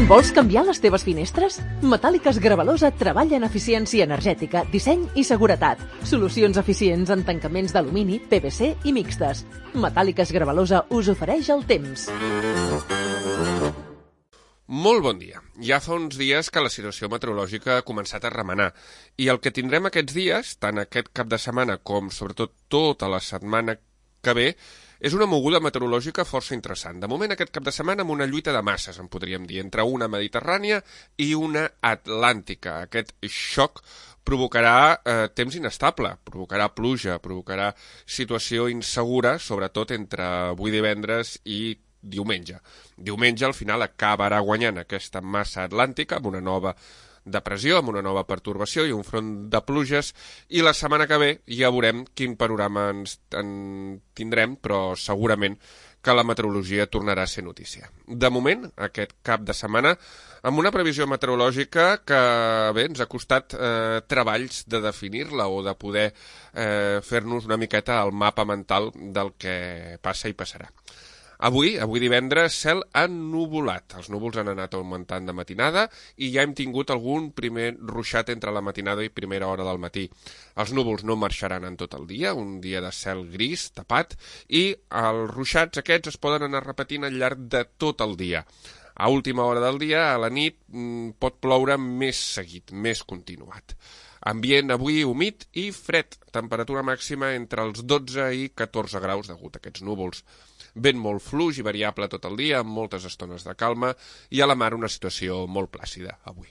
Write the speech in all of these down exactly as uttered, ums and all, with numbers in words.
Vols canviar les teves finestres? Metàl·liques Gravalosa treballa en eficiència energètica, disseny i seguretat. Solucions eficients en tancaments d'alumini, P V C i mixtes. Metàl·liques Gravalosa us ofereix el temps. Molt bon dia. Ja fa uns dies que la situació meteorològica ha començat a remenar i el que tindrem aquests dies, tant aquest cap de setmana com sobretot tota la setmana que ve, és una moguda meteorològica força interessant. De moment, aquest cap de setmana amb una lluita de masses, en podríem dir, entre una mediterrània i una atlàntica. Aquest xoc provocarà eh, temps inestable, provocarà pluja, provocarà situació insegura, sobretot entre avui divendres i diumenge. Diumenge, al final, acabarà guanyant aquesta massa atlàntica amb una nova depressió, amb una nova pertorbació i un front de pluges, i la setmana que ve ja veurem quin panorama ens en tindrem, però segurament que la meteorologia tornarà a ser notícia. De moment, aquest cap de setmana, amb una previsió meteorològica que bé, ens ha costat eh, treballs de definir-la o de poder eh, fer-nos una miqueta el mapa mental del que passa i passarà. Avui, avui divendres, cel ennuvolat. Els núvols han anat augmentant de matinada i ja hem tingut algun primer ruixat entre la matinada i primera hora del matí. Els núvols no marxaran en tot el dia, un dia de cel gris, tapat, i els ruixats aquests es poden anar repetint al llarg de tot el dia. A última hora del dia, a la nit, pot ploure més seguit, més continuat. Ambient avui humit i fred, temperatura màxima entre els dotze i catorze graus degut a aquests núvols. Vent molt fluix i variable tot el dia, amb moltes estones de calma, i a la mar una situació molt plàcida avui.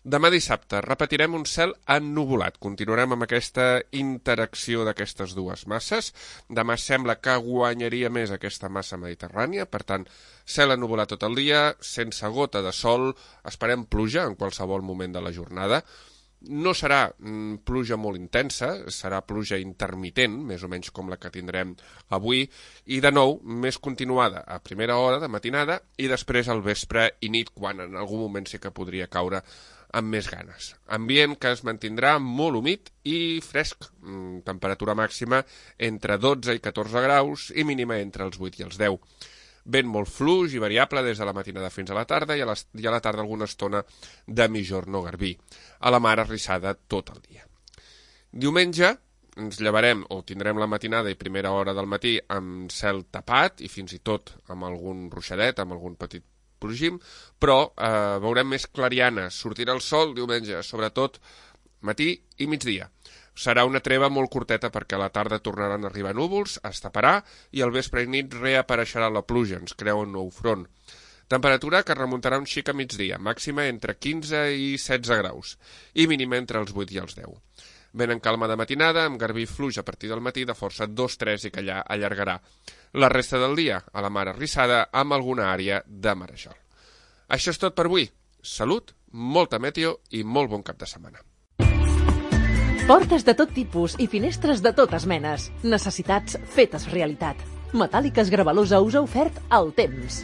Demà dissabte repetirem un cel ennuvolat. Continuarem amb aquesta interacció d'aquestes dues masses. Demà sembla que guanyaria més aquesta massa mediterrània, per tant, cel ennuvolat tot el dia, sense gota de sol, esperem pluja en qualsevol moment de la jornada. No serà mm, pluja molt intensa, serà pluja intermitent, més o menys com la que tindrem avui, i de nou, més continuada a primera hora de matinada i després al vespre i nit, quan en algun moment sí que podria caure amb més ganes. Ambient que es mantindrà molt humit i fresc, mm, temperatura màxima entre dotze i catorze graus i mínima entre els vuit i els deu. Vent molt fluix i variable des de la matinada fins a la tarda i a, les, i a la tarda alguna estona de mijorn o garbí. A la mar arrissada tot el dia. Diumenge ens llevarem o tindrem la matinada i primera hora del matí amb cel tapat i fins i tot amb algun ruixadet, amb algun petit plogim, però eh, veurem més clarianes. Sortirà el sol diumenge, sobretot matí i migdia. Serà una treva molt curteta perquè a la tarda tornaran a arribar núvols, es taparà i al vespre i nit reapareixerà la pluja, ens creu un nou front. Temperatura que remuntarà un xic a migdia, màxima entre quinze i setze graus i mínima entre els vuit i els deu. Vent en calma de matinada, amb garbí fluix a partir del matí de força dos tres i que allà allargarà. La resta del dia, a la mar arrissada, amb alguna àrea de marejol. Això és tot per avui. Salut, molta meteo i molt bon cap de setmana. Portes de tot tipus i finestres de totes menes. Necessitats fetes realitat. Metàl·liques Gravalosa us ha ofert el temps.